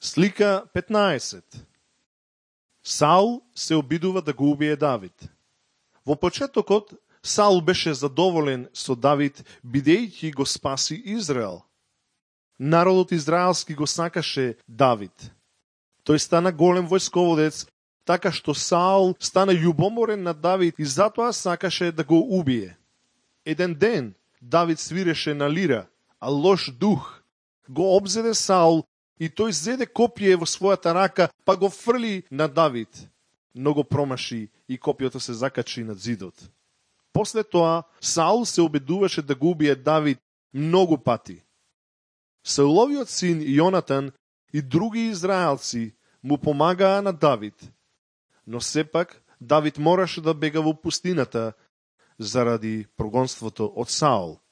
Слика 15. Саул се обидува да го убие Давид. Во почетокот, Саул беше задоволен со Давид, бидејќи го спаси Израел. Народот израелски го сакаше Давид. Тој стана голем војсководец, така што Саул стана љубоморен на Давид и затоа сакаше да го убие. Еден ден Давид свиреше на лира, а лош дух го обзеде Саул и тој зеде копје во својата рака, па го фрли на Давид. Но го промаши и копјето се закачи над зидот. После тоа, Саул се обидуваше да го убие Давид многу пати. Сауловиот син Јонатан и други израелци му помагаа на Давид, но сепак Давид мораше да бега во пустината заради прогонството од Саул.